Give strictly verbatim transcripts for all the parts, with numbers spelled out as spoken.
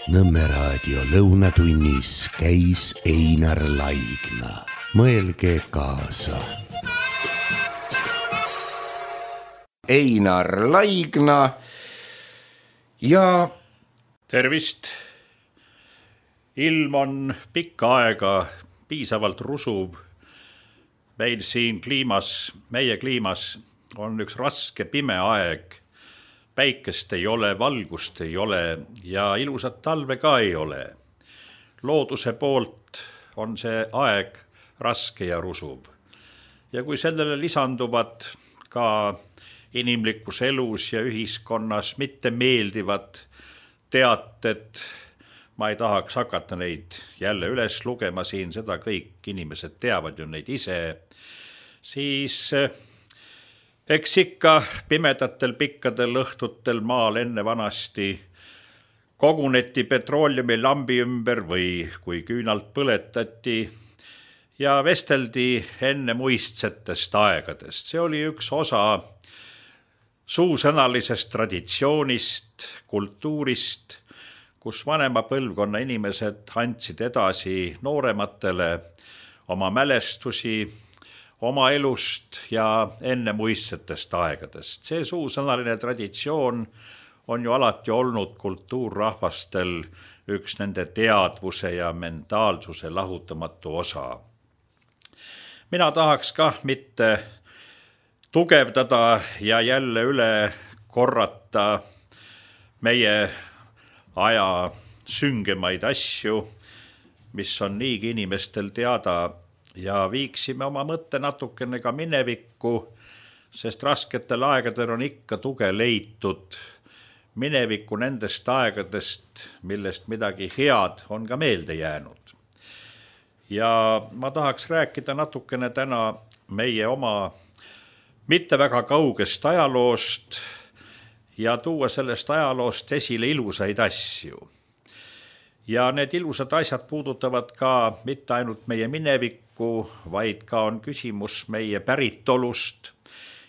Nõmme raadio lõunatunnis käis Einar Laigna. Mõelge kaasa. Einar Laigna ja tervist. Ilm on pikka aega piisavalt rusuv. Meil siin kliimas, meie kliimas on üks raske pime aeg. Päikest ei ole, valgust ei ole ja ilusat talve ka ei ole. Looduse poolt on see aeg raske ja rusuv. Ja kui sellele lisanduvad ka inimlikus elus ja ühiskonnas mitte meeldivad teated, ma ei tahaks hakata neid jälle üles lugema siin, seda kõik inimesed teavad ju neid ise, siis eks ikka pimedatel pikkadel õhtutel maal enne vanasti koguneti petrooliumi lambi ümber või kui küünalt põletati ja vesteldi enne muistsetest aegadest. See oli üks osa suusõnalisest traditsioonist, kultuurist, kus vanema põlvkonna inimesed andsid edasi noorematele oma mälestusi, oma elust ja enne muistsetest aegadest. See suusõnaline traditsioon on ju alati olnud kultuurrahvastel üks nende teadvuse ja mentaalsuse lahutamatu osa. Mina tahaks kah mitte tugevdada ja jälle üle korrata meie aja süngemaid asju, mis on niigi inimestel teada, ja viiksime oma mõtte natukene ka minevikku, sest rasketel aegadel on ikka tuge leitud minevikku nendest aegadest, millest midagi head on ka meelde jäänud. Ja ma tahaks rääkida natukene täna meie oma mitte väga kaugest ajaloost ja tuua sellest ajaloost esile ilusaid asju. Ja need ilusad asjad puudutavad ka mitte ainult meie minevikku, vaid ka on küsimus meie päritolust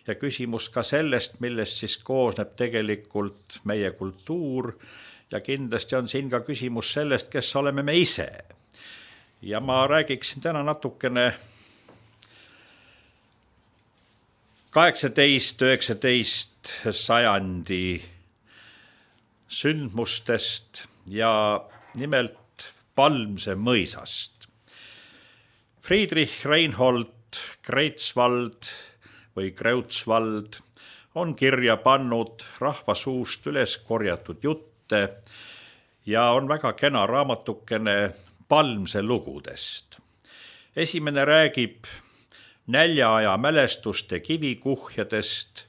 ja küsimus ka sellest, millest siis koosneb tegelikult meie kultuur ja kindlasti on siin ka küsimus sellest, kes oleme me ise. Ja ma räägiksin täna natukene kaheksateist üheksateist sajandi sündmustest ja nimelt Palmse mõisast. Friedrich Reinhold Greifswald või Kreutzwald on kirja pannud rahva suust üles korjatud jutte ja on väga kena raamatukene Palmse lugudest. Esimene räägib näljaaja mälestuste kivikuhjadest,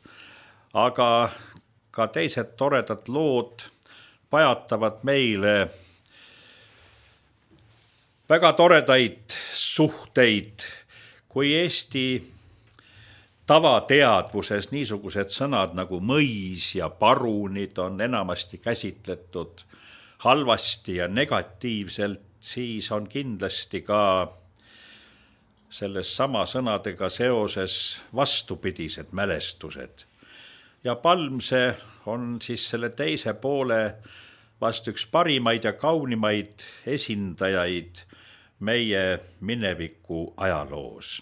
aga ka teised toredad lood pajatavad meile väga toredaid suhteid, kui Eesti tavateadvuses niisugused sõnad nagu mõis ja parunid on enamasti käsitletud halvasti ja negatiivselt, siis on kindlasti ka selles sama sõnadega seoses vastupidised mälestused. Ja Palmse on siis selle teise poole vast üks parimaid ja kaunimaid esindajaid meie mineviku ajaloos.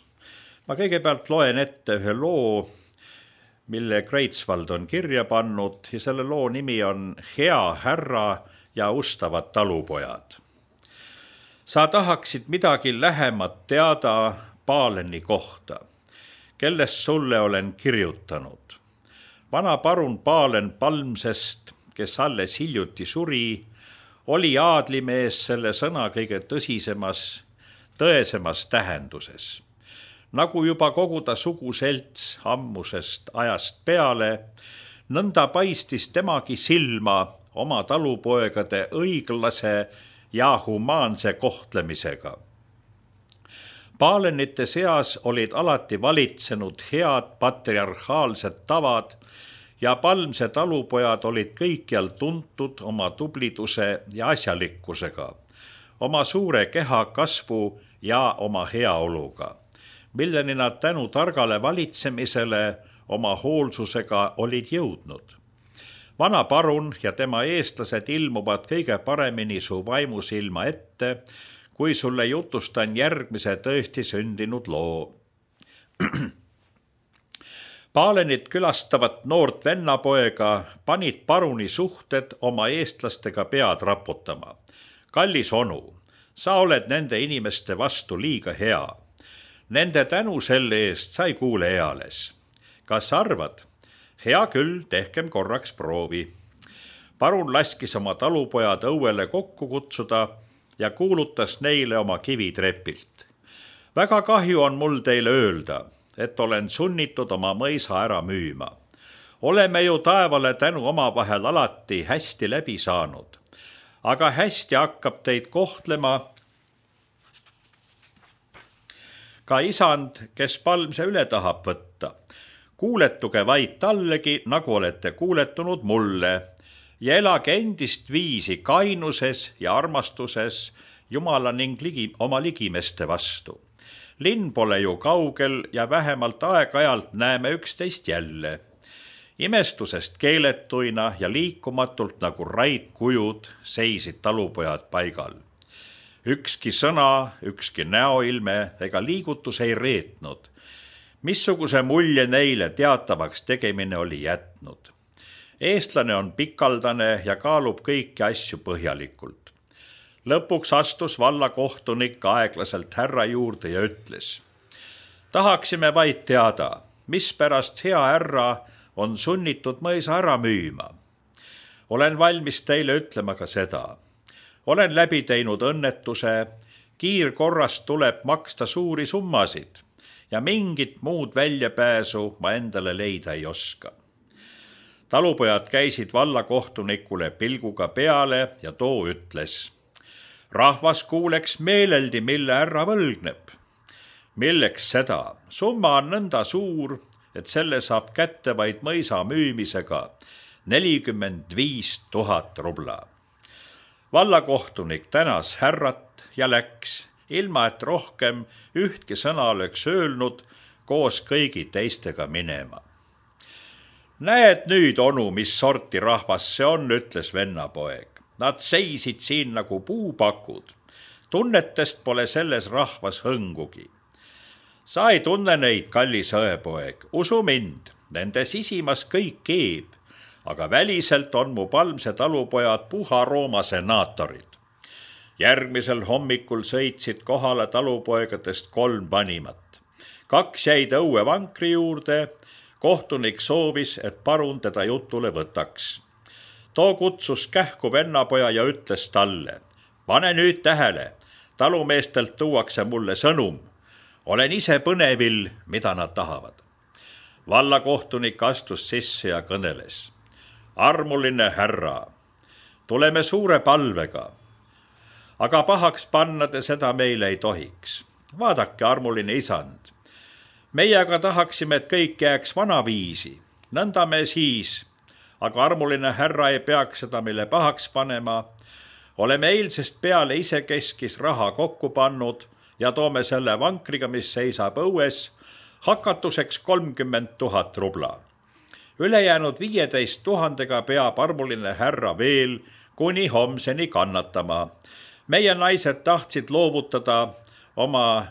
Ma kõigepealt loen ette ühe loo, mille Greifswald on kirja pannud ja selle loo nimi on Hea härra ja ustavad talupojad. Sa tahaksid midagi lähemat teada Paaleni kohta, kellest sulle olen kirjutanud. Vana parun Paalen Palmsest, kes alles hiljuti suri, oli aadlimees selle sõna kõige tõsisemas, tõesemas tähenduses. Nagu juba kogu ta suguselts ammusest ajast peale, nõnda paistis temagi silma oma talupoegade õiglase ja humaanse kohtlemisega. Paalenite seas olid alati valitsenud head patriarhaalsed tavad ja Palmse talupojad olid kõikjal tuntud oma tubliduse ja asjalikkusega, oma suure keha kasvu ja oma heaoluga, milleni nad tänu targale valitsemisele oma hoolsusega olid jõudnud. Vana parun ja tema eestlased ilmuvad kõige paremini su vaimusilma ette, kui sulle jutustan järgmise tõesti sündinud loo. Paalenit külastavat noort vennapoega panid paruni suhted oma eestlastega pead raputama. Kallis onu, sa oled nende inimeste vastu liiga hea. Nende tänu selle eest sai kuule eales. Kas arvad? Hea küll, tehkem korraks proovi. Parun laskis oma talupojad õuele kokku kutsuda ja kuulutas neile oma kivitrepilt. Väga kahju on mul teile öelda, et olen sunnitud oma mõisa ära müüma. Oleme ju taevale tänu omavahel alati hästi läbi saanud, aga hästi hakkab teid kohtlema ka isand, kes Palmse üle tahab võtta. Kuuletuge vaid tallegi, nagu olete kuuletunud mulle, ja elage endist viisi kainuses ja armastuses Jumala ning ligi, oma ligimeste vastu. Linn pole ju kaugel ja vähemalt aeg-ajalt näeme üksteist jälle. Imestusest keeletuina ja liikumatult nagu raidkujud seisid talupojad paigal. Ükski sõna, ükski näoilme ega liigutus ei reetnud. Missuguse mulje neile teatavaks tegemine oli jätnud. Eestlane on pikaldane ja kaalub kõiki asju põhjalikult. Lõpuks astus vallakohtunik aeglaselt härra juurde ja ütles: tahaksime vaid teada, mispärast hea härra on sunnitud mõisa ära müüma. Olen valmis teile ütlema ka seda. Olen läbi teinud õnnetuse, kiirkorras tuleb maksta suuri summasid ja mingit muud väljapääsu ma endale leida ei oska. Talupojad käisid vallakohtunikule pilguga peale ja too ütles: rahvas kuuleks meeleldi, mille härra võlgneb. Milleks seda? Summa on nõnda suur, et selle saab kätte vaid mõisa müümisega nelikümmend viis tuhat rubla. Vallakohtunik tänas härrat ja läks, ilma et rohkem ühtki sõna oleks öelnud, koos kõigi teistega minema. Näed nüüd, onu, mis sorti rahvas see on, ütles vennapoeg. Nad seisid siin nagu puupakud. Tunnetest pole selles rahvas hõngugi. Sa ei tunne neid, kallis õepoeg. Usu mind, nende sisimas kõik keeb, aga väliselt on mu Palmse talupojad puha Rooma senaatorid. Järgmisel hommikul sõitsid kohale talupoegadest kolm vanimat. Kaks jäid õue vankri juurde. Kohtunik soovis, et parun teda jutule võtaks. Too kutsus kähku vennapoja ja ütles talle: pane nüüd tähele, talumeestelt tuuakse mulle sõnum. Olen ise põnevil, mida nad tahavad. Vallakohtunik astus sisse ja kõneles: armuline härra, tuleme suure palvega, aga pahaks panna te seda meile ei tohiks. Vaadake, armuline isand, meie aga tahaksime, et kõik jääks vanaviisi. Nõnda me siis, aga armuline härra ei peaks seda meile pahaks panema. Oleme eilsest peale ise keskis raha kokku pannud ja toome selle vankriga, mis seisab õues, hakatuseks kolmkümmend tuhat rubla. Ülejäänud viieteist tuhandega peab armuline härra veel kuni homseni kannatama. Meie naised tahtsid loovutada oma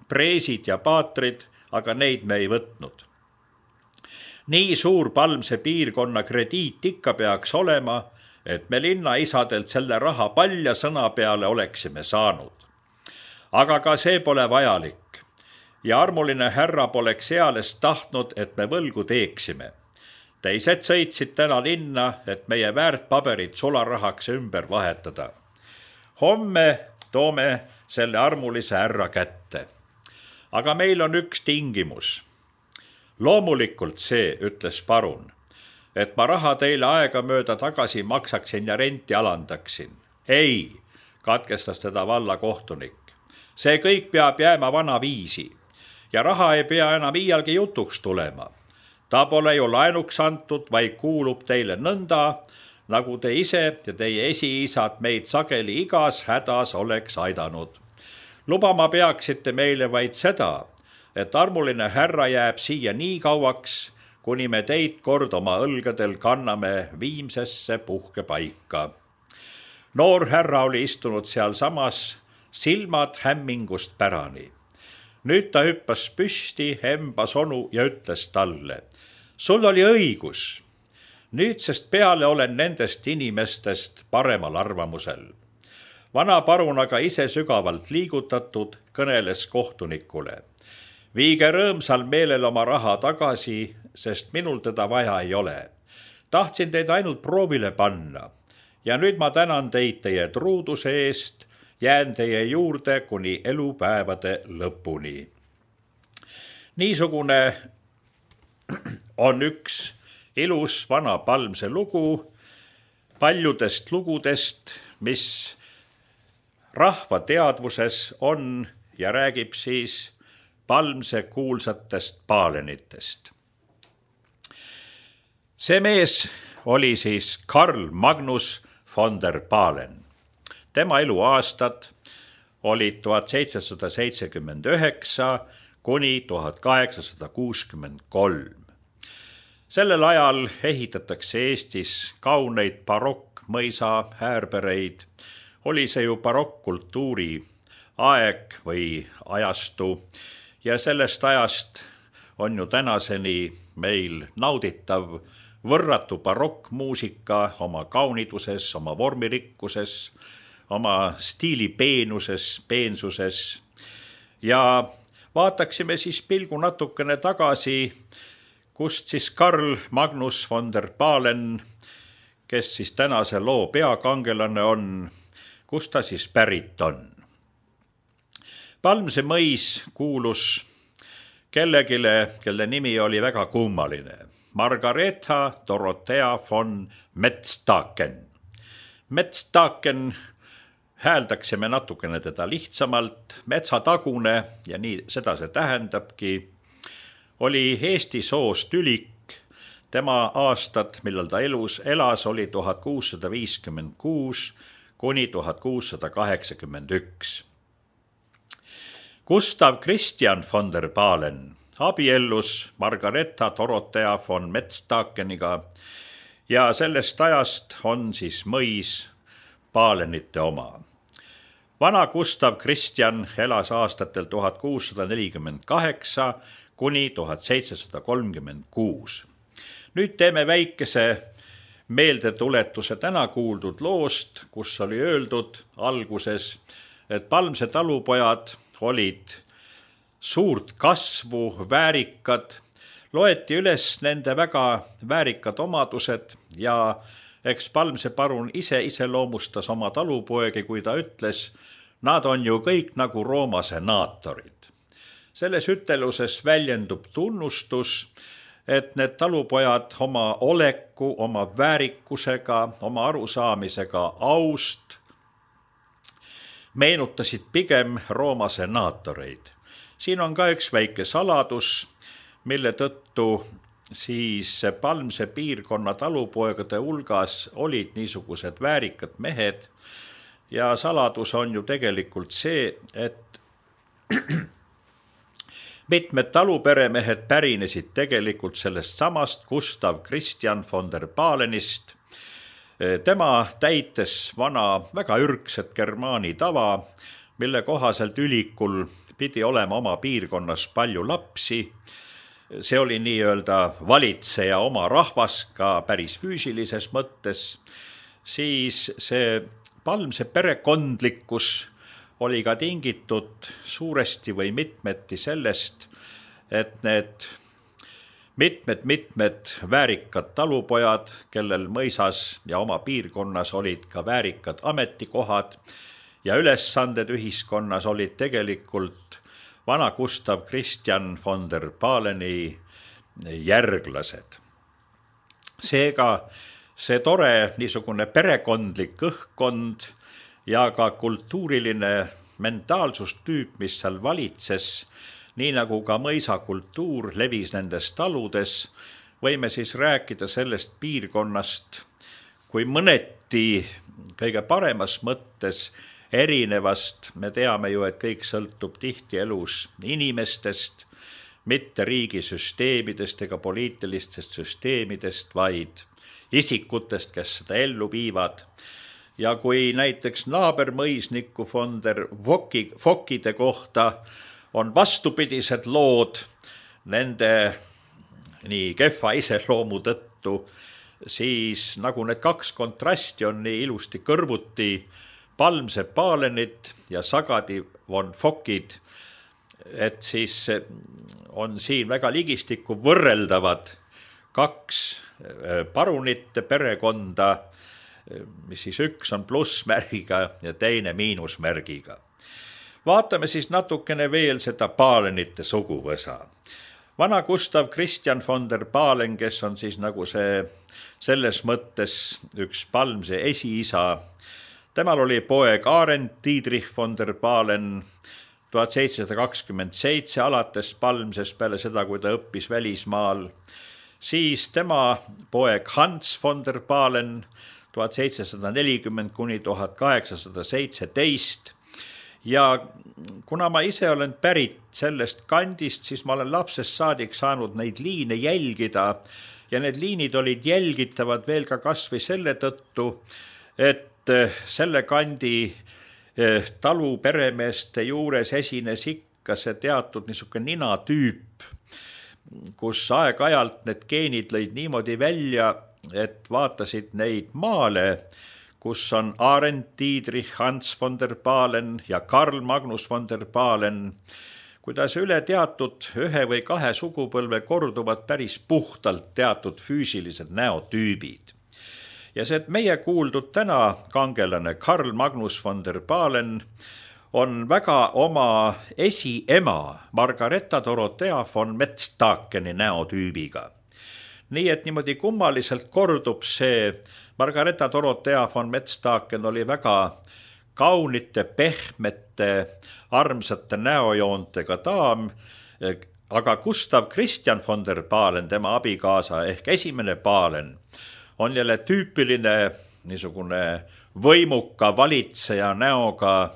preesid ja paatrid, aga neid me ei võtnud. Nii suur Palmse piirkonna krediit ikka peaks olema, et me linnaisadelt selle raha palja sõna peale oleksime saanud. Aga ka see pole vajalik ja armuline härra poleks eales tahtnud, et me võlgu teeksime. Teised sõitsid täna linna, et meie väärtpaberid sularahaks ümber vahetada. Homme toome selle armulise härra kätte. Aga meil on üks tingimus. Loomulikult see, ütles parun, et ma raha teile aega mööda tagasi maksaksin ja renti alandaksin. Ei, katkestas teda vallakohtunik. See kõik peab jääma vana viisi ja raha ei pea enam iialgi jutuks tulema. Ta pole ju laenuks antud, vaid kuulub teile nõnda, nagu te ise ja teie esiisad meid sageli igas hädas oleks aidanud. Lubama peaksite meile vaid seda, et armuline härra jääb siia nii kauaks, kuni me teid kord oma õlgadel kanname viimsesse puhkepaika. Noor härra oli istunud seal samas, silmad hämmingust pärani. Nüüd ta hüppas püsti, hembas onu ja ütles talle: sul oli õigus. Nüüdsest peale olen nendest inimestest paremal arvamusel. Vana parun aga ise sügavalt liigutatud kõneles kohtunikule: viige rõõmsal meelel oma raha tagasi, sest minul teda vaja ei ole. Tahtsin teid ainult proovile panna ja nüüd ma tänan teid teie truuduse eest, jään teie juurde kuni elupäevade lõpuni. Niisugune on üks ilus vana Palmse lugu paljudest lugudest, mis rahva teadvuses on ja räägib siis Palmse kuulsatest paalenitest. See mees oli siis Karl Magnus von der Palen. Tema eluaastad olid tuhat seitsesada seitsekümmend üheksa kuni tuhat kaheksasada kuuskümmend kolm. Sellel ajal ehitatakse Eestis kauneid barokkmõisa häärbereid. Oli see ju barokkkultuuri aeg või ajastu ja sellest ajast on ju tänaseni meil nauditav võrratu barokkmuusika oma kauniduses, oma vormirikkuses, oma stiili peenuses, peensuses. Ja vaataksime siis pilgu natukene tagasi, kust siis Karl Magnus von der Palen, kes siis tänase loo peakangelane on, kust ta siis pärit on. Palmse mõis kuulus kellegile, kelle nimi oli väga kummaline. Margaretha Dorothea von Metstaken. Metstaken hääldaksime natukene teda lihtsamalt, metsatagune ja nii seda see tähendabki, oli Eesti soost ülik. Tema aastad, millal ta elus elas, oli tuhat kuussada viiskümmend kuus kuni tuhat kuussada kaheksakümmend üks. Gustav Christian von der Palen abiellus Margaretha Dorothea von Metstakeniga ja sellest ajast on siis mõis Palenite oma. Vana Gustav Christian elas aastatel tuhat kuussada nelikümmend kaheksa kuni tuhat seitsesada kolmkümmend kuus. Nüüd teeme väikese meeldetuletuse täna kuuldud loost, kus oli öeldud alguses, et Palmse talupojad olid suurt kasvu, väärikad, loeti üles nende väga väärikad omadused ja eks Palmse parun ise iseloomustas oma talupoegi, kui ta ütles, nad on ju kõik nagu Rooma senaatorid. Selles üteluses väljendub tunnustus, et need talupojad oma oleku, oma väärikusega, oma arusaamisega aust meenutasid pigem Rooma senaatoreid. Siin on ka üks väike saladus, mille tõttu siis Palmse piirkonna talupoegade hulgas olid niisugused väärikad mehed ja saladus on ju tegelikult see, et mitmed taluperemehed pärinesid tegelikult sellest samast Gustav Christian von der Palenist. Tema täites vana väga ürgset germaani tava, mille kohaselt ülikul pidi olema oma piirkonnas palju lapsi. See oli nii-öelda valitseja oma rahvas ka päris füüsilises mõttes. Siis see Palmse perekondlikkus oli ka tingitud suuresti või mitmeti sellest, et need mitmed-mitmed väärikad talupojad, kellel mõisas ja oma piirkonnas olid ka väärikad ametikohad ja ülesanded ühiskonnas olid tegelikult vana Gustav Christian von der Paleni järglased. Seega see tore niisugune perekondlik õhkkond ja ka kultuuriline mentaalsustüüp, mis seal valitses, nii nagu ka mõisakultuur levis nendes taludes, võime siis rääkida sellest piirkonnast kui mõneti kõige paremas mõttes erinevast. Me teame ju, et kõik sõltub tihti elus inimestest, mitte riigisüsteemidest ega poliitilistest süsteemidest, vaid isikutest, kes seda ellu viivad. Ja kui näiteks naabermõisniku von der Fokkide kohta on vastupidised lood nende nii kehva iseloomu tõttu, siis nagu need kaks kontrasti on nii ilusti kõrvuti, Palmsepp Pahlenit ja Sagadi von Fokkid, et siis on siin väga ligistikku võrreldavad kaks parunite perekonda, mis siis üks on plussmärgiga ja teine miinusmärgiga. Vaatame siis natukene veel seda Pahlenite suguvõsa. Vana Gustav Christian von der Pahlen, kes on siis nagu see selles mõttes üks Palmse esiisa, temal oli poeg Arend Dietrich von der Pahlen tuhat seitsesada kakskümmend seitse alates Palmses peale seda, kui ta õppis välismaal. Siis tema poeg Hans von der Pahlen tuhat seitsesada nelikümmend kuni tuhat kaheksasada seitseteist. Ja kuna ma ise olen pärit sellest kandist, siis ma olen lapsest saadik saanud neid liine jälgida ja need liinid olid jälgitavad veel ka kasvõi selle tõttu, et selle kandi talu peremeeste juures esines ikka see teatud niisugune ninatüüp, kus aeg-ajalt need geenid lõid niimoodi välja, et vaatasid neid maale, kus on Arend Dietrich, Hans von der Pahlen ja Karl Magnus von der Pahlen, kuidas üle teatud ühe või kahe sugupõlve korduvad päris puhtalt teatud füüsilised näotüübid. Ja see, et meie kuuldud täna kangelane Karl Magnus von der Pahlen on väga oma esiema Margareta Dorothea von Metzdakeni näotüübiga. Nii et niimoodi kummaliselt kordub see. Margareta Dorothea von Metzdaken oli väga kaunite, pehmete, armsate näojoontega daam, aga Gustav Christian von der Pahlen, tema abikaasa ehk esimene Pahlen, on jälle tüüpiline niisugune võimuka valitseja näoga,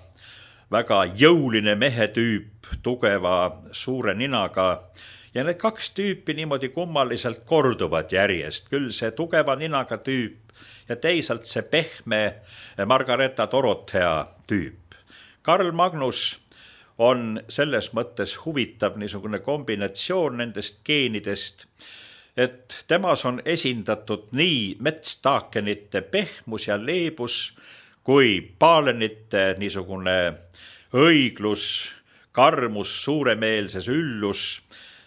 väga jõuline mehetüüp, tugeva suure ninaga. Ja need kaks tüüpi niimoodi kummaliselt korduvad järjest, küll see tugeva ninaga tüüp ja teisalt see pehme Margareta Dorothea tüüp. Karl Magnus on selles mõttes huvitav niisugune kombinatsioon nendest geenidest, et temas on esindatud nii Metsdakenite pehmus ja leebus kui Pahlenite niisugune õiglus, karmus, suuremeelses üllus,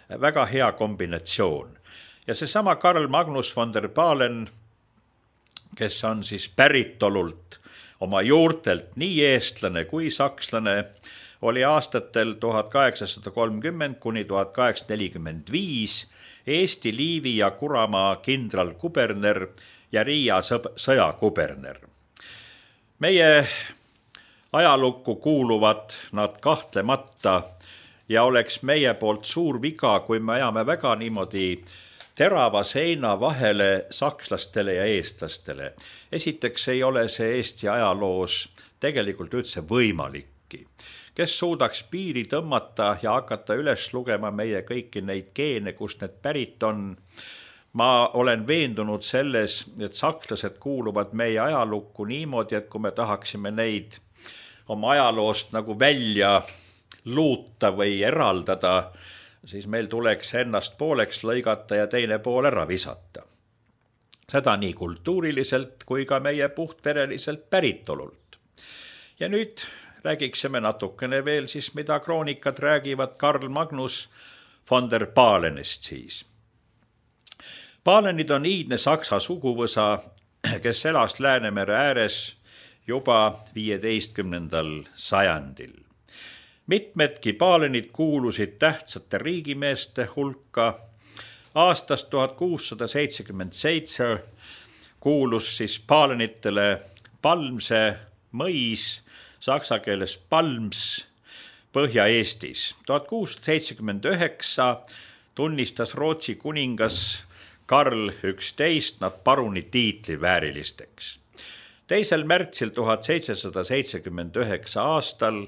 väga hea kombinatsioon. Ja seesama Karl Magnus von der Pahlen, kes on siis päritolult oma juurtelt nii eestlane kui sakslane, oli aastatel tuhat kaheksasada kolmkümmend kuni tuhat kaheksasada nelikümmend viis Eesti Liivi ja Kuramaa kindralkuberner ja Riia sõjakuberner. Meie ajalukku kuuluvad nad kahtlemata ja oleks meie poolt suur viga, kui me ajame väga niimoodi terava seina vahele sakslastele ja eestlastele. Esiteks ei ole see Eesti ajaloos tegelikult üldse võimalikki. Kes suudaks piiri tõmmata ja hakata üles lugema meie kõiki neid geene, kust need pärit on. Ma olen veendunud selles, et sakslased kuuluvad meie ajalukku niimoodi, et kui me tahaksime neid oma ajaloost nagu välja luuta või eraldada, siis meil tuleks ennast pooleks lõigata ja teine pool ära visata. Seda nii kultuuriliselt kui ka meie puhtvereliselt päritolult. Ja nüüd räägiksime natukene veel siis, mida kroonikad räägivad Karl Magnus von der Pahlenist siis. Pahlenid on iidne saksa suguvõsa, kes elas Läänemere ääres juba viieteistkümnendal sajandil. Mitmedki Pahlenid kuulusid tähtsate riigimeeste hulka. Aastast tuhat kuussada seitsekümmend seitse kuulus siis Pahlenitele Palmse mõis, saksa keeles Palms, Põhja-Eestis. tuhat kuussada seitsekümmend üheksa tunnistas Rootsi kuningas Karl üksteist nad paruni tiitli väärilisteks. teisel märtsil tuhat seitsesada seitsekümmend üheksa aastal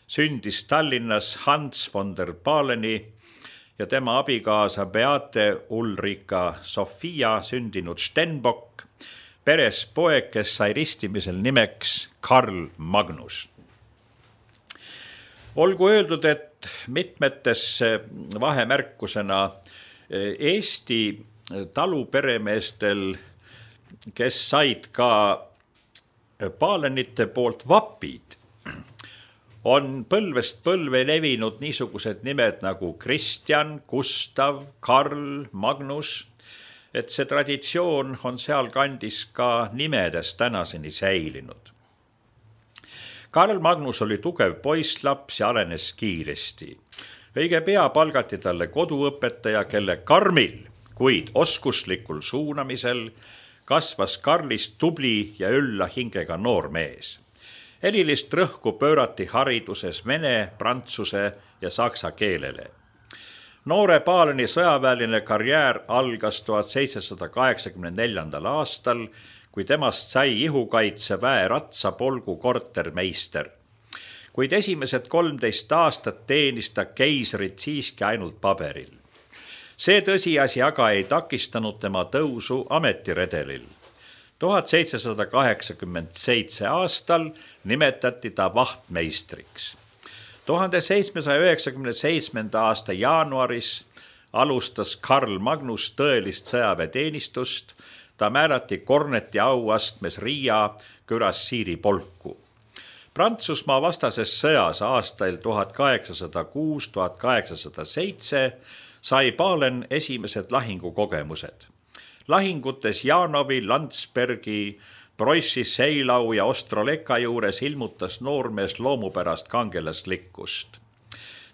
sündis Tallinnas Hans von der Pahleni ja tema abikaasa Beate Ulrika Sofia sündinud Stenbock, peres poeg, kes sai ristimisel nimeks Karl Magnus. Olgu öeldud, et mitmetes vahemärkusena Eesti taluperemeestel, kes said ka Pahlenite poolt vapid, on põlvest põlve levinud niisugused nimed nagu Kristjan, Gustav, Karl, Magnus, et see traditsioon on seal kandis ka nimedes tänaseni säilinud. Karl Magnus oli tugev poisslaps ja arenes kiiresti. Õige pea palgati talle koduõpetaja, kelle karmil, kuid oskuslikul suunamisel kasvas Karlist tubli ja ülla hingega noormees. Erilist rõhku pöörati hariduses vene, prantsuse ja saksa keelele. Noore Pahleni sõjaväeline karjäär algas tuhat seitsesada kaheksakümmend neljandal aastal, kui temast sai ihukaitse väe ratsapolgu kortermeister. Kuid esimesed kolmteist aastat teenis ta keisrit siiski ainult paberil. See tõsiasi aga ei takistanud tema tõusu ametiredelil. tuhat seitsesada kaheksakümmend seitse aastal nimetati ta vahtmeistriks. tuhande seitsmesaja üheksakümne seitsmenda aasta jaanuaris alustas Karl Magnus tõelist sõjaväeteenistust. Ta määrati korneti auastmes Riia kürassiiri polku. Prantsusmaa vastases sõjas aastail tuhat kaheksasada kuus tuhat kaheksasada seitse sai Pahlen esimesed lahingukogemused. Lahingutes Janovi, Landsbergi, Broissi, Seilau ja Ostroleka juures ilmutas noormees loomupärast kangelaslikkust.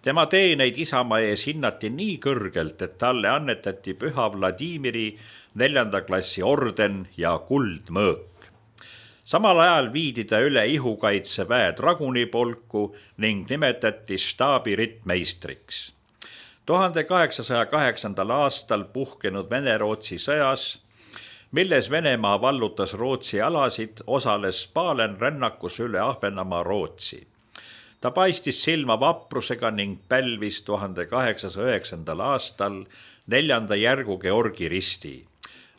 Tema teeneid isamaa ees hinnati nii kõrgelt, et talle annetati Püha Vladimiri neljanda klassi orden ja kuldmõõk. Samal ajal viidi ta üle ihukaitseväe dragunipolku ning nimetati staabirittmeistriks. tuhande kaheksasaja kaheksandal aastal puhkenud Vene-Rootsi sõjas, milles Venemaa vallutas Rootsi alasid, osales Pahlen rännakus üle Ahvenamaa Rootsi. Ta paistis silma vaprusega ning pälvis tuhande kaheksasaja üheksandal aastal neljanda järgu Georgi risti.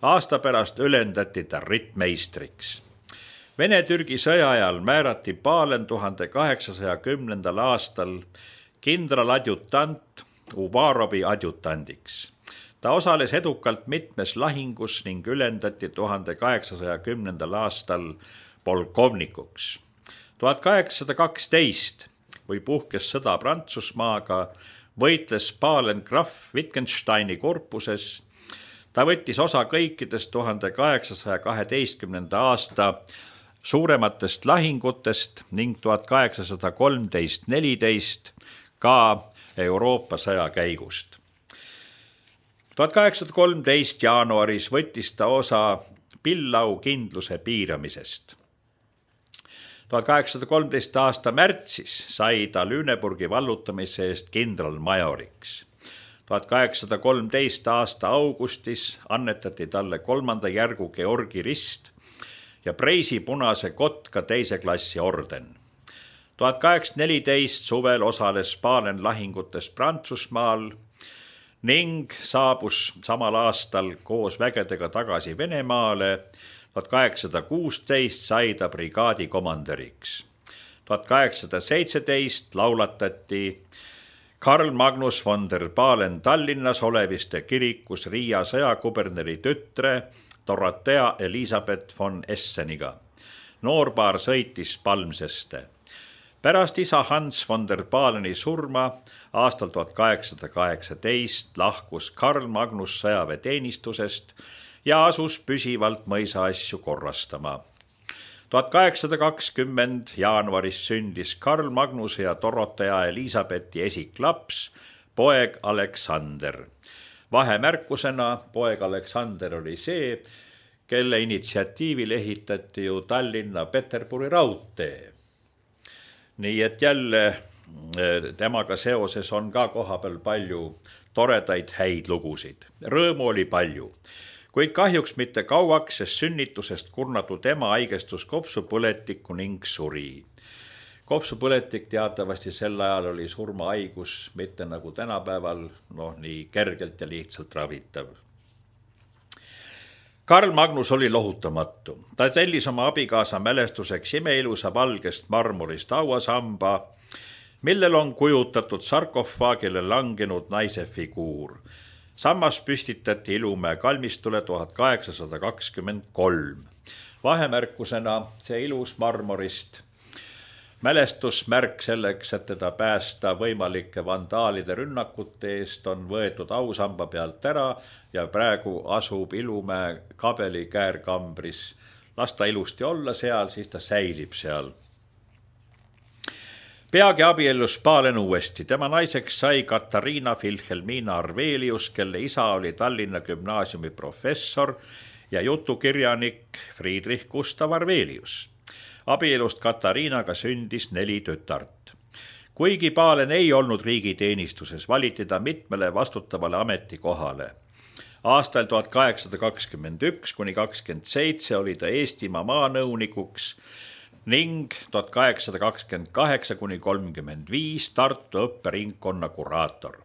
Aasta pärast ülendati ta rittmeistriks. Vene-Türgi sõja ajal määrati Pahlen tuhande kaheksasaja kümnendal aastal kindraladjutant Uvarovi adjutandiks. Ta osales edukalt mitmes lahingus ning ülendati tuhande kaheksasaja kümnendal aastal polkovnikuks. tuhat kaheksasada kaksteist, kui puhkes sõda Prantsusmaaga, võitles Pahlen Graf Wittgensteini korpuses. Ta võttis osa kõikidest tuhande kaheksasaja kaheteistkümnenda aasta suurematest lahingutest ning tuhat kaheksasada kolmteist neliteist ka Euroopa sõja käigust. tuhat kaheksasada kolmteist jaanuaris võttis ta osa Pillau kindluse piiramisest. tuhat kaheksasada kolmteist aasta märtsis sai ta Lüneburgi vallutamise eest kindralmajoriks. tuhat kaheksasada kolmteist aasta augustis annetati talle kolmanda järgu Georgi rist ja Preisi punase kotka teise klassi orden. tuhat kaheksasada neliteist suvel osales Pahlen lahingutes Prantsusmaal ning saabus samal aastal koos vägedega tagasi Venemaale. tuhat kaheksasada kuusteist sai ta brigaadi komanderiks. tuhat kaheksasada seitseteist laulatati Karl Magnus von der Pahlen Tallinnas Oleviste kirikus Riia sõjakuberneri tütre Dorothea Elisabeth von Esseniga. Noorpaar sõitis Palmseste. Pärast isa Hans von der Pahleni surma aastal tuhat kaheksasada kaheksateist lahkus Karl Magnus sõjaväeteenistusest ja asus püsivalt mõisa asju korrastama. tuhat kaheksasada kakskümmend jaanuaris sündis Karl Magnuse ja Dorothea Elisabethi esiklaps, poeg Aleksander. Vahemärkusena poeg Aleksander oli see, kelle initsiatiivil ehitati ju Tallinna Peterburi raudtee. Nii et jälle temaga seoses on ka kohapeal palju toredaid häid lugusid. Rõõmu oli palju, kuid kahjuks mitte kauaks, sest sünnitusest kurnatud ema haigestus kopsupõletikku ning suri. kopsupõletik teatavasti sel ajal oli surmahaigus, mitte nagu tänapäeval, noh nii kergelt ja lihtsalt ravitav. Karl Magnus oli lohutamatu. Ta tellis oma abikaasa mälestuseks imeilusa valgest marmorist hauasamba, millel on kujutatud sarkofaagile langenud naise figuur. Sammas püstitati Ilumäe kalmistule tuhat kaheksasada kakskümmend kolm. Vahemärkusena see ilus marmorist mälestusmärk selleks, et teda päästa võimalike vandaalide rünnakute eest, on võetud ausamba pealt ära ja praegu asub Ilumäe kabeli käärkambris. Las ta ilusti olla seal, siis ta säilib seal. Peagi abiellus Pahlen uuesti. Tema naiseks sai Katariina Filhelmina Arvelius, kelle isa oli Tallinna gümnaasiumi professor ja jutukirjanik Friedrich Gustav Arvelius. Abielust Katariinaga sündis neli tütart. Kuigi Pahlen ei olnud riigiteenistuses, valiti ta mitmele vastutavale ametikohale. Aastal tuhat kaheksasada kakskümmend üks kuni kakskümmend seitse oli ta Eestimaa maanõunikuks ning tuhat kaheksasada kakskümmend kaheksa kuni kolmkümmend viis Tartu õpperingkonna kuraator.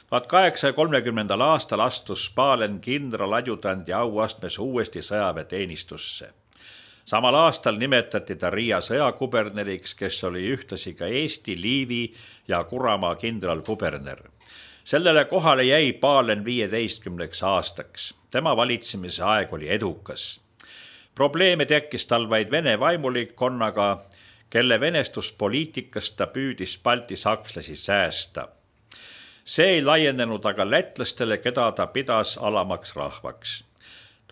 tuhat kaheksasaja kolmekümnendal aastal astus Pahlen kindraladjutandi auastmes uuesti sõjaväeteenistusse. Samal aastal nimetati ta Riia sõjakuberneriks, kes oli ühtlasi ka Eesti, Liivi ja Kuramaa kindralkuberner. Sellele kohale jäi Pahlen viieteistkümneks aastaks. Tema valitsemise aeg oli edukas. Probleeme tekkis tal vaid Vene vaimulikkonnaga, kelle venestuspoliitikast ta püüdis Balti sakslasi säästa. See ei laienenud aga lätlastele, keda ta pidas alamaks rahvaks.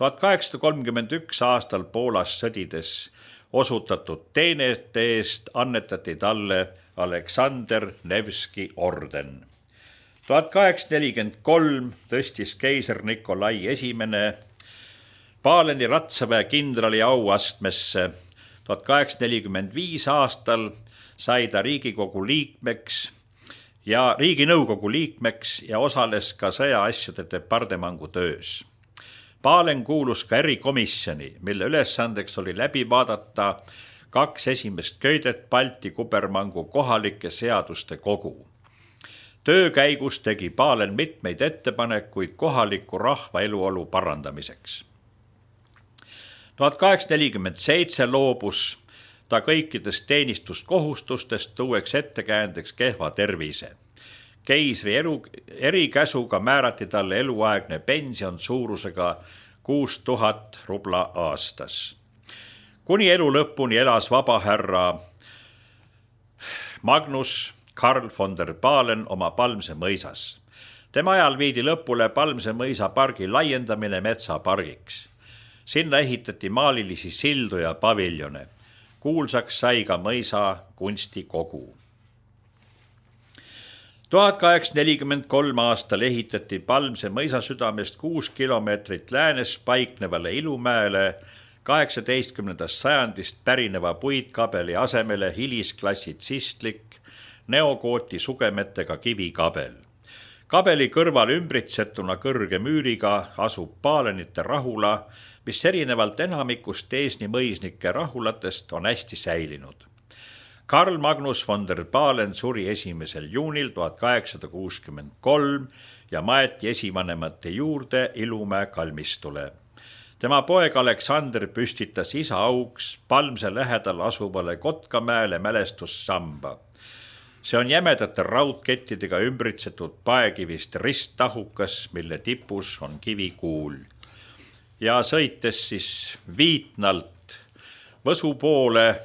tuhat kaheksasada kolmkümmend üks aastal Poolas sõdides osutatud teenete eest annetati talle Aleksander Nevski orden. tuhat kaheksasada nelikümmend kolm tõstis keiser Nikolai esimene Pahleni ratsaväe kindrali auastmesse. tuhat kaheksasada nelikümmend viis aastal sai ta Riigikogu liikmeks ja Riiginõukogu liikmeks ja osales ka sõjaasjade departemangu töös. Pahlen kuulus ka erikomisjoni, mille ülesandeks oli läbi vaadata kaks esimest köidet Balti kubermangu kohalike seaduste kogu. Töö käigus tegi Pahlen mitmeid ettepanekuid kohaliku rahva eluolu parandamiseks. tuhat kaheksasada nelikümmend seitse loobus ta kõikidest teenistuskohustustest, tuueks ettekäändeks kehva tervise. Keisri elu, erikäsuga määrati talle eluaegne pension suurusega kuus tuhat rubla aastas. Kuni elu lõpuni elas vabahärra Magnus Karl von der Pahlen oma Palmse mõisas. Tema ajal viidi lõpule Palmse mõisa pargi laiendamine metsapargiks. Sinna ehitati maalilisi sildu ja paviljone. Kuulsaks sai ka mõisa kunstikogu. tuhat kaheksasada nelikümmend kolm aastal ehitati Palmse mõisasüdamest kuus kilomeetrit läänes paiknevale Ilumäele kaheksateistkümnendast sajandist pärineva puitkabeli asemele hilisklassi tsistlik neogooti sugemetega kivikabel. Kabeli kõrval ümbritsetuna kõrge müüriga asub Pahlenite rahula, mis erinevalt enamikust Eesni mõisnike rahulatest on hästi säilinud. Karl Magnus von der Pahlen suri esimesel juunil tuhat kaheksasada kuuskümmend kolm ja maeti esivanemate juurde Ilumäe kalmistule. Tema poeg Aleksander püstitas isa auks Palmse lähedal asuvale Kotkamäele mälestussamba. See on jämedate raudkettidega ümbritsetud paekivist risttahukas, mille tipus on kivikuul. Ja sõites siis Viitnalt Võsu poole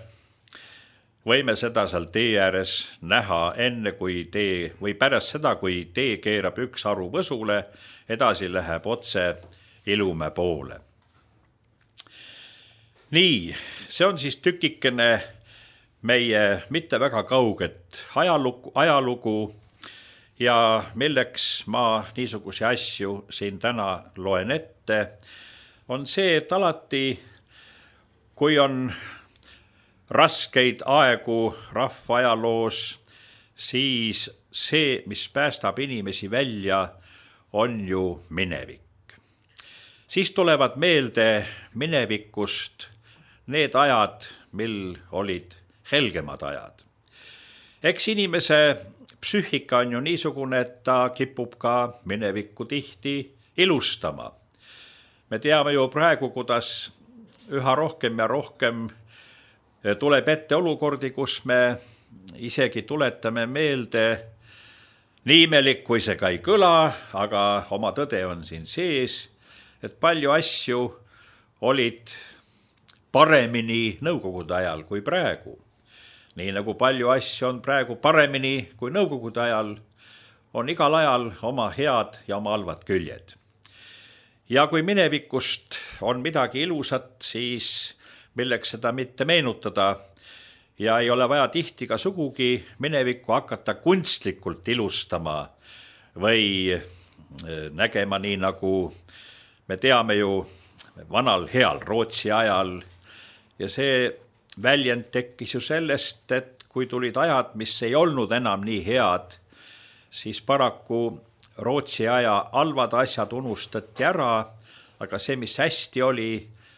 võime seda seal tee ääres näha enne kui tee või pärast seda, kui tee keerab üks haru Võsule, edasi läheb otse Ilumäe poole. Nii, see on siis tükikene meie mitte väga kauget ajalugu, ajalugu ja milleks ma niisuguse asju siin täna loen ette, on see, et alati, kui on raskeid aegu rahva ajaloos, siis see, mis päästab inimesi välja, on ju minevik. Siis tulevad meelde minevikust need ajad, mil olid helgemad ajad. Eks inimese psüühika on ju niisugune, et ta kipub ka minevikku tihti ilustama. Me teame ju praegu, kuidas üha rohkem ja rohkem tuleb ette olukordi, kus me isegi tuletame meelde, nii imelik kui see ka ei kõla, aga oma tõde on siin sees, et palju asju olid paremini nõukogude ajal kui praegu. Nii nagu palju asju on praegu paremini kui nõukogude ajal, on igal ajal oma head ja oma halvad küljed. Ja kui minevikust on midagi ilusat, siis milleks seda mitte meenutada ja ei ole vaja tihti ka sugugi minevikku hakata kunstlikult ilustama või nägema nii, nagu me teame ju vanal heal Rootsi ajal. Ja see väljend tekkis ju sellest, et kui tulid ajad, mis ei olnud enam nii head, siis paraku Rootsi aja halvad asjad unustati ära, aga see, mis hästi oli,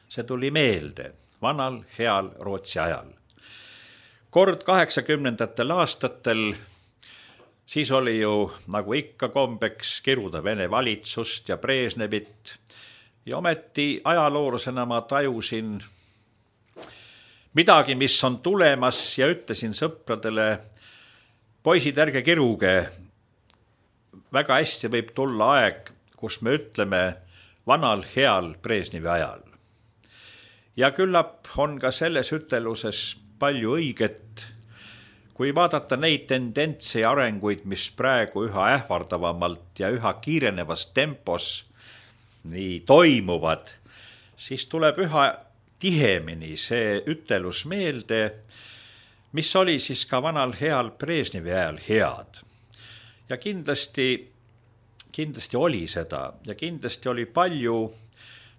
see tuli meelde vanal heal Rootsi ajal. Kord kaheksakümnendatel aastatel, siis oli ju nagu ikka kombeks kiruda Vene valitsust ja Brežnevit ja ometi ajaloolasena ma tajusin midagi, mis on tulemas ja ütlesin sõpradele, poisid, ärge kiruge, väga hästi võib tulla aeg, kus me ütleme vanal heal Brežnevi ajal. Ja küllap on ka selles üteluses palju õiget, kui vaadata neid tendentse ja arenguid, mis praegu üha ähvardavamalt ja üha kiirenevas tempos nii toimuvad, siis tuleb üha tihemini see ütelus meelde, mis oli siis ka vanal heal Brežnevi ajal head. Ja kindlasti, kindlasti oli seda ja kindlasti oli palju,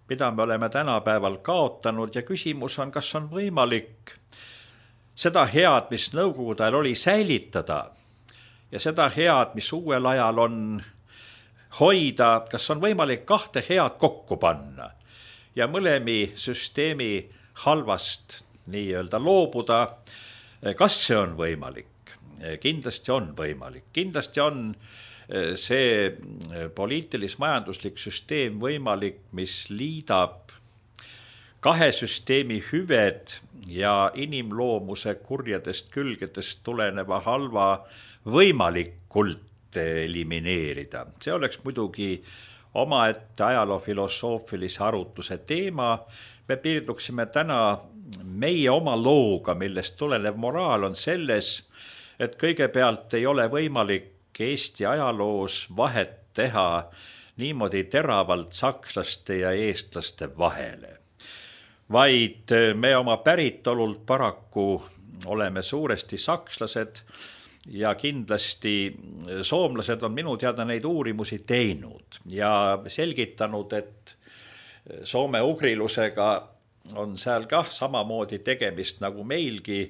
mida me oleme tänapäeval kaotanud ja küsimus on, kas on võimalik seda head, mis nõukogude ajal oli, säilitada ja seda head, mis uuel ajal on hoida, kas on võimalik kahte head kokku panna ja mõlemi süsteemi halvast nii-öelda loobuda. Kas see on võimalik? Kindlasti on võimalik. Kindlasti on see poliitilis-majanduslik süsteem võimalik, mis liidab kahe süsteemi hüved ja inimloomuse kurjadest külgedest tuleneva halva võimalikult elimineerida. See oleks muidugi omaette ajaloofilosoofilise arutluse teema. Me piirduksime täna meie oma looga, millest tulenev moraal on selles, et kõigepealt ei ole võimalik Eesti ajaloos vahet teha niimoodi teravalt sakslaste ja eestlaste vahele. Vaid me oma päritolult paraku oleme suuresti sakslased ja kindlasti soomlased on minu teada neid uurimusi teinud ja selgitanud, et Soome ugrilusega on seal kah samamoodi tegemist nagu meilgi,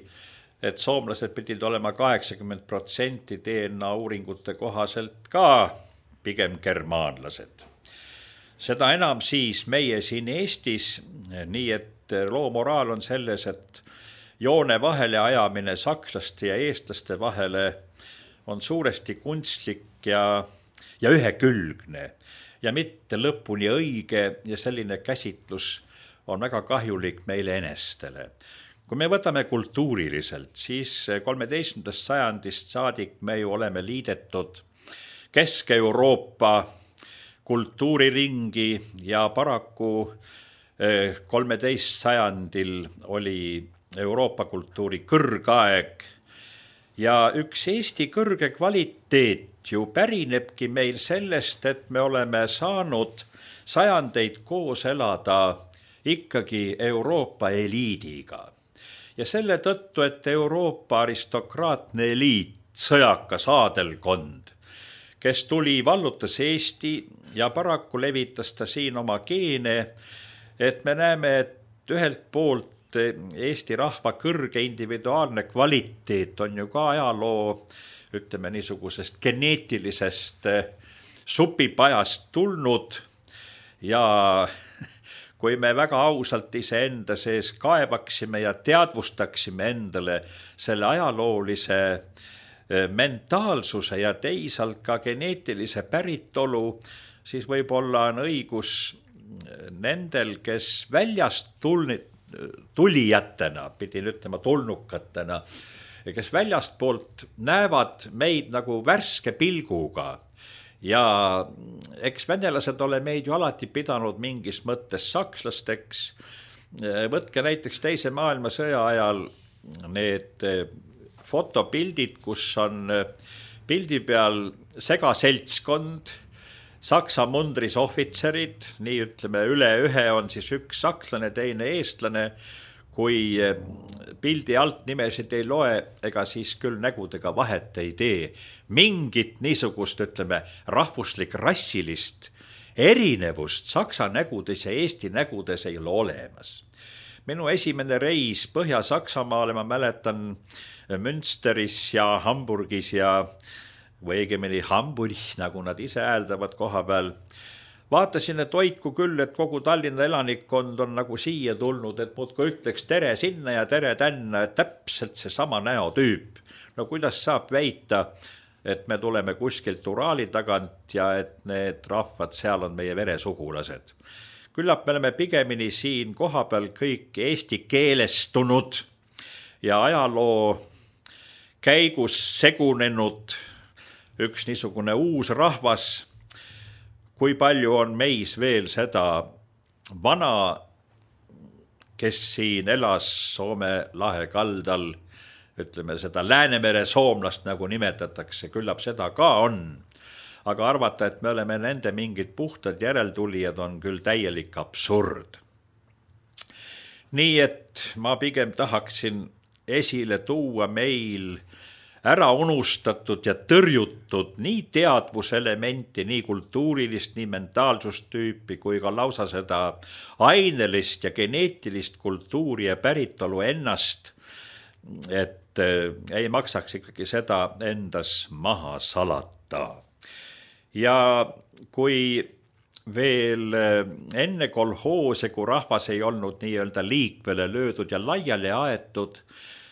et soomlased pidid olema kaheksakümmend protsenti D N A uuringute kohaselt ka pigem germaanlased. Seda enam siis meie siin Eestis, nii et loo moraal on selles, et joone vahele ajamine sakslaste ja eestlaste vahele on suuresti kunstlik ja, ja ühekülgne ja mitte lõpuni õige ja selline käsitlus on väga kahjulik meile enestele. Kui me võtame kultuuriliselt, siis kolmeteistkümnendast sajandist saadik me ju oleme liidetud Kesk-Euroopa kultuuriringi ja paraku kolmeteist sajandil oli Euroopa kultuuri kõrgaeg ja üks Eesti kõrge kvaliteet ju pärinebki meil sellest, et me oleme saanud sajandeid koos elada ikkagi Euroopa eliidiga. Ja selle tõttu, et Euroopa aristokraatne eliit, sõjakas aadelkond, kes tuli, vallutas Eesti ja paraku levitas ta siin oma geene, et me näeme, et ühelt poolt Eesti rahva kõrge individuaalne kvaliteet on ju ka ajaloo, ütleme niisugusest geneetilisest supipajast tulnud ja kui me väga ausalt iseenda sees kaevaksime ja teadvustaksime endale selle ajaloolise mentaalsuse ja teisalt ka geneetilise päritolu, siis võib-olla on õigus nendel, kes väljast tulnid, tulijatena, pidin ütlema tulnukatena, kes väljast poolt näevad meid nagu värske pilguga. Ja eks venelased ole meid ju alati pidanud mingis mõttes sakslasteks. Võtke näiteks teise maailmasõja ajal need fotopildid, kus on pildi peal segaseltskond, Saksa mundris ohvitserid, nii ütleme üle ühe on siis üks sakslane, teine eestlane, kui pildi alt nimesid ei loe, ega siis küll nägudega vahet ei tee. Mingit niisugust, ütleme, rahvuslik rassilist erinevust Saksa nägudes ja Eesti nägudes ei ole olemas. Minu esimene reis Põhja-Saksamaale, ma mäletan Münsteris ja Hamburgis ja või õigemini Hamburg, nagu nad ise hääldavad koha peal. Vaatasin, et oiku küll, et kogu Tallinna elanikkond on nagu siia tulnud, et muudku ütleks tere sinna ja tere tänna, et täpselt see sama näotüüp. No kuidas saab väita, et me tuleme kuskilt Uraali tagant ja et need rahvad seal on meie veresugulased. Küllap me oleme pigemini siin koha peal kõik eesti keelestunud ja ajaloo käigus segunenud üks niisugune uus rahvas, kui palju on meis veel seda vana, kes siin elas Soome lahe kaldal, ütleme seda Läänemere soomlast nagu nimetatakse, küllap seda ka on. Aga arvata, et me oleme nende mingid puhtad järeltulijad on küll täielik absurd. Nii et ma pigem tahaksin esile tuua meil ära unustatud ja tõrjutud nii teadvuselementi, nii kultuurilist, nii mentaalsustüüpi, kui ka lausa seda ainelist ja geneetilist kultuuri ja päritolu ennast, et ei maksaks ikkagi seda endas maha salata. Ja kui veel enne kolhoose, kui rahvas ei olnud nii-öelda liikvele löödud ja laiali aetud,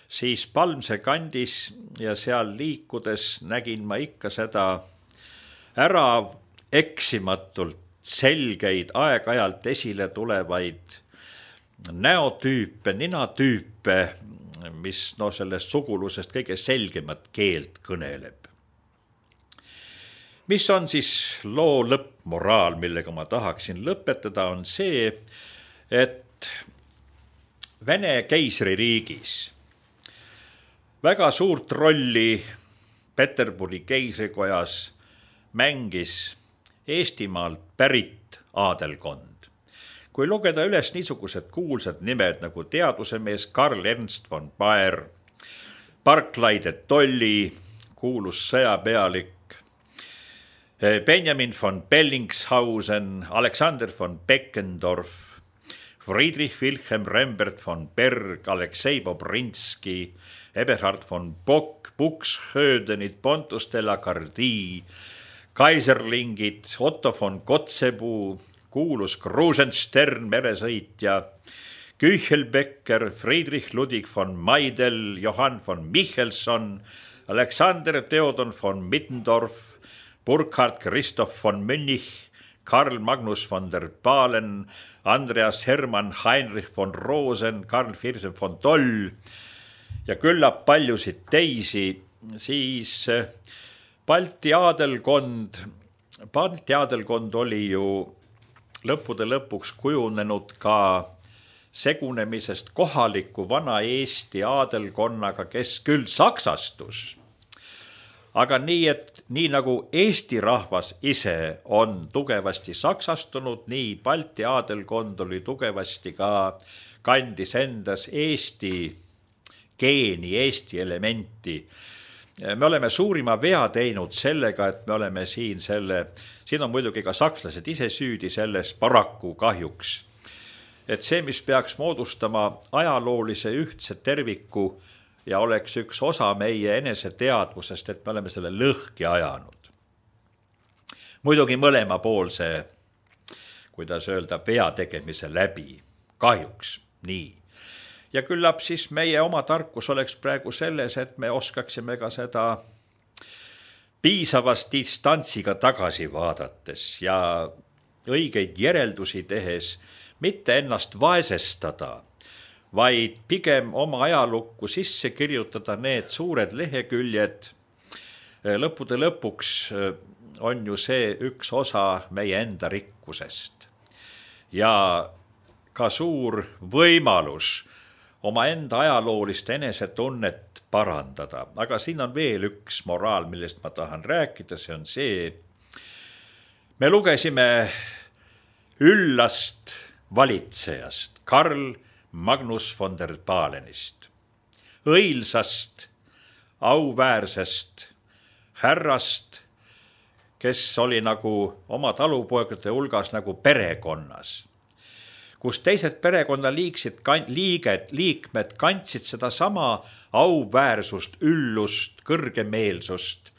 siis Palmse kandis ja seal liikudes nägin ma ikka seda ära eksimatult selgeid aeg-ajalt esile tulevaid näotüüpe, ninatüüpe, mis no sellest sugulusest kõige selgemat keelt kõneleb. Mis on siis loo lõppmoraal, millega ma tahaksin lõpetada, on see, et Vene keisririigis väga suurt rolli Peterburi keisrikojas mängis Eestimaalt pärit aadelkond. Kui lugeda üles niisugused kuulsad nimed nagu teadusemees Karl Ernst von Baer, Barclay de Tolly, kuulus sõjapealik, Benjamin von Bellingshausen, Alexander von Beckendorf, Friedrich Wilhelm Rembert von Berg, Aleksei Bobrinski, Eberhard von Bock, Buxhödenid, Pontus de la Gardie, Kaiserlingid, Otto von Kotzebue, kuulus Krusenstern, meresõitja, Küchelbecker, Friedrich Ludwig von Maidel, Johann von Michelson, Alexander Theodor von Middendorf, Burkhard Christoph von Münich, Karl Magnus von der Balen, Andreas Hermann Heinrich von Rosen, Karl Firsen von Toll ja küllap paljusid teisi, siis Balti aadelkond, Balti aadelkond oli ju lõppude lõpuks kujunenud ka segunemisest kohaliku vana Eesti aadelkonnaga, kes küll saksastus. Aga nii, et nii nagu Eesti rahvas ise on tugevasti saksastunud, nii Balti aadelkond oli tugevasti ka kandis endas Eesti geeni, Eesti elementi. Me oleme suurima vea teinud sellega, et me oleme siin selle, siin on muidugi ka sakslased ise süüdi selles paraku kahjuks. Et see, mis peaks moodustama ajaloolise ühtse terviku ja oleks üks osa meie enese teadvusest, et me oleme selle lõhki ajanud. Muidugi mõlema poolse, kuidas öelda, vea tegemise läbi, kahjuks nii. Ja küllap siis meie oma tarkus oleks praegu selles, et me oskaksime ka seda piisavas distantsiga tagasi vaadates ja õigeid järeldusi tehes mitte ennast vaesestada, vaid pigem oma ajalukku sisse kirjutada need suured leheküljed. Lõppude lõpuks on ju see üks osa meie enda rikkusest ja ka suur võimalus oma enda ajaloolist enesetunnet parandada. Aga siin on veel üks moraal, millest ma tahan rääkida, see on see. Me lugesime üllast valitsejast, Karl Magnus von der Palenist, õilsast, auväärsest härrast, kes oli nagu oma talupoegade hulgas nagu perekonnas, kus teised perekonna liiksid, liiged, liikmed kandsid seda sama auväärsust, üllust, kõrgemeelsust.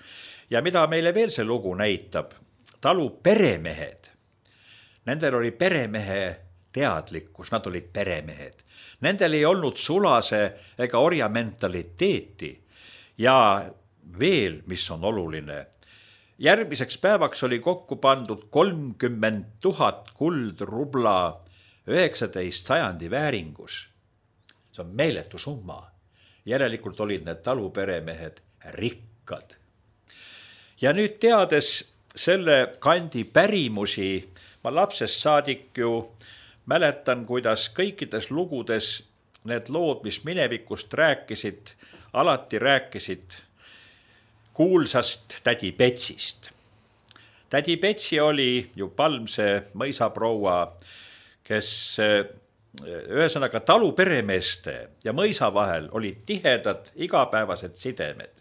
Ja mida meile veel see lugu näitab? Talu peremehed, nendel oli peremehe teadlikkus, nad olid peremehed. Nendel ei olnud sulase ega orja mentaliteeti. Ja veel, mis on oluline, järgmiseks päevaks oli kokku pandud kolmkümmend tuhat kuldrubla üheksateist sajandi vääringus. See on meeletu summa. Järelikult olid need taluperemehed rikkad. Ja nüüd teades selle kandi pärimusi, ma lapsest saadik ju mäletan, kuidas kõikides lugudes need lood, mis minevikust rääkisid, alati rääkisid kuulsast tädi Petsist. Tädi Petsi oli ju Palmse mõisaproua, kes ühesõnaga taluperemeeste ja mõisa vahel olid tihedad igapäevased sidemed.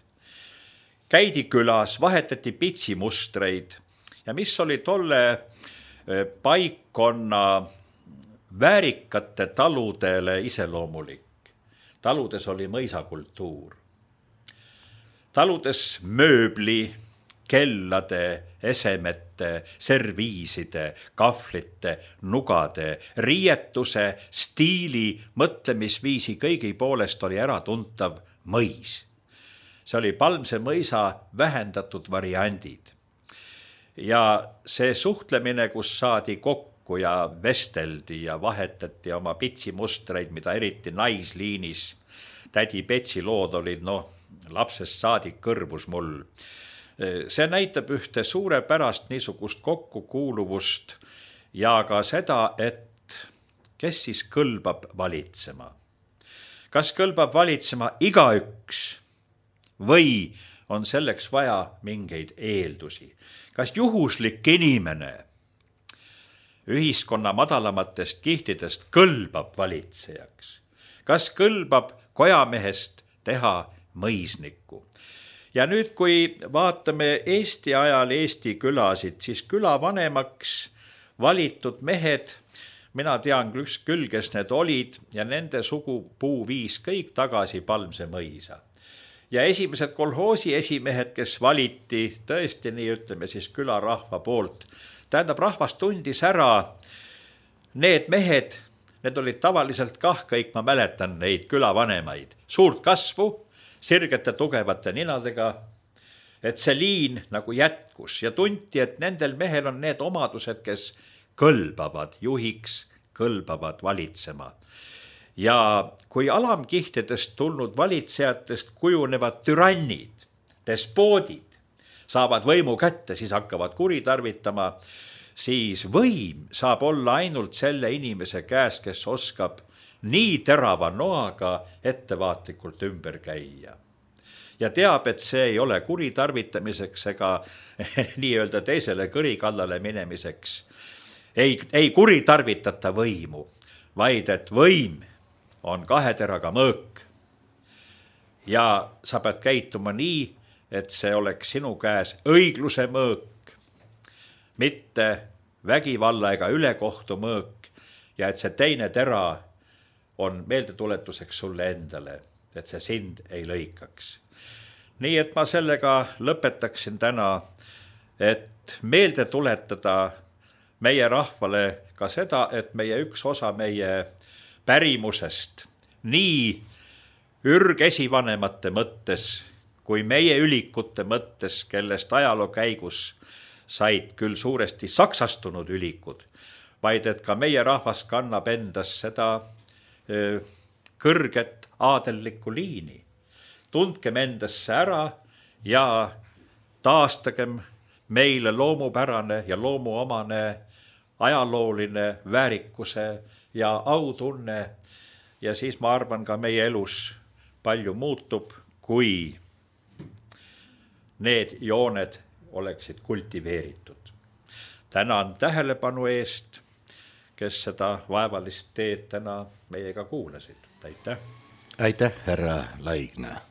Käidi külas, vahetati pitsimustreid ja mis oli tolle paikkonna väärikate taludele iseloomulik. Taludes oli mõisakultuur. Taludes mööbli, kellade, esemete, serviiside, kahvlite, nugade, riietuse, stiili, mõtlemisviisi kõigi poolest oli äratuntav mõis. See oli Palmse mõisa vähendatud variandid. Ja see suhtlemine, kus saadi kokku ja vesteldi ja vahetati oma pitsimustreid, mida eriti naisliinis, tädi Petsi lood olid, noh, lapsest saadik kõrvus mul. See näitab ühte suurepärast niisugust kokkukuuluvust ja ka seda, et kes siis kõlbab valitsema. Kas kõlbab valitsema igaüks või on selleks vaja mingeid eeldusi? Kas juhuslik inimene ühiskonna madalamatest kihtidest kõlbab valitsejaks? Kas kõlbab kojamehest teha mõisnikku? Ja nüüd, kui vaatame Eesti ajal Eesti külasid, siis külavanemaks valitud mehed, mina tean küll, kes need olid ja nende sugupuu viis kõik tagasi Palmse mõisa. Ja esimesed kolhoosi esimehed, kes valiti tõesti nii ütleme siis külarahva poolt, tähendab rahvas tundis ära need mehed, need olid tavaliselt kah kõik, ma mäletan neid külavanemaid, suurt kasvu, sirgete tugevate ninadega, et see liin nagu jätkus ja tunti, et nendel mehel on need omadused, kes kõlbavad juhiks, kõlbavad valitsema. Ja kui alamkihtidest tulnud valitsejatest kujunevad türannid, despoodid, saavad võimu kätte, siis hakkavad kuritarvitama, siis võim saab olla ainult selle inimese käes, kes oskab nii terava noaga ettevaatlikult ümber käia. Ja teab, et see ei ole kuritarvitamiseks ega nii-öelda teisele kõrikallale minemiseks. Ei, ei kuritarvitata võimu, vaid et võim on kahe teraga mõõk. Ja sa pead käituma nii, et see oleks sinu käes õigluse mõõk, mitte vägivalla ega ülekohtu mõõk ja et see teine tera on meeldetuletuseks sulle endale, et see sind ei lõikaks. Nii et ma sellega lõpetaksin täna, et meelde tuletada meie rahvale ka seda, et meie üks osa meie pärimusest nii ürgesivanemate mõttes kui meie ülikute mõttes, kellest ajaloo käigus said küll suuresti saksastunud ülikud, vaid et ka meie rahvas kannab endas seda öö, kõrget aadellikku liini. Tundkem endasse ära ja taastagem meile loomupärane ja loomuomane ajalooline väärikuse ja autunne ja siis ma arvan ka meie elus palju muutub, kui need jooned oleksid kultiveeritud. Tänan tähelepanu eest, kes seda vaevalist teed täna meiega kuulasid. Aitäh! Aitäh, härra Laigna!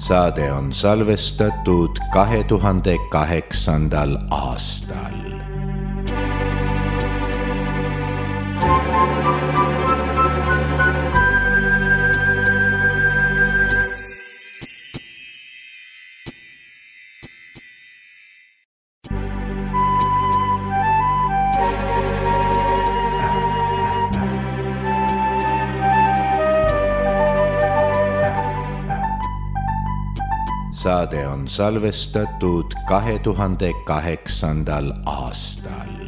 saade on salvestatud kahe tuhande kaheksandal aastal. Saade on salvestatud kahe tuhande kaheksandal aastal.